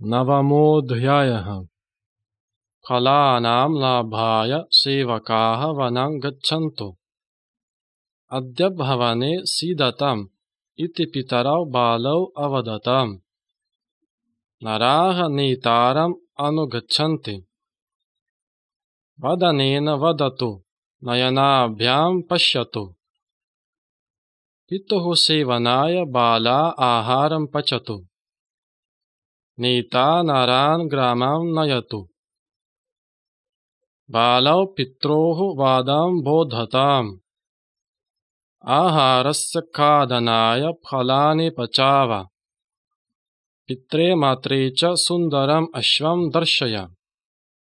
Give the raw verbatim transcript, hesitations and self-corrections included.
नवमोऽध्यायः। फलानां लाभाय सेवकाः वनं गच्छन्तु। अद्य भवने सीदतम् इति पितरौ बालौ अवदतम्। नराः नेतारम् अनुगच्छन्ति। वदनेन वदतु, नयनाभ्यां पश्यतु। पितुः सेवनाय बाला आहारं पचतु। नेता नरान् ग्रामं नयतु। बालौ पित्रोः वादं बोधताम्। आहारस्य खादनाय फलानि पचाव। पित्रे मात्रे च सुन्दरम् अश्वं दर्शय।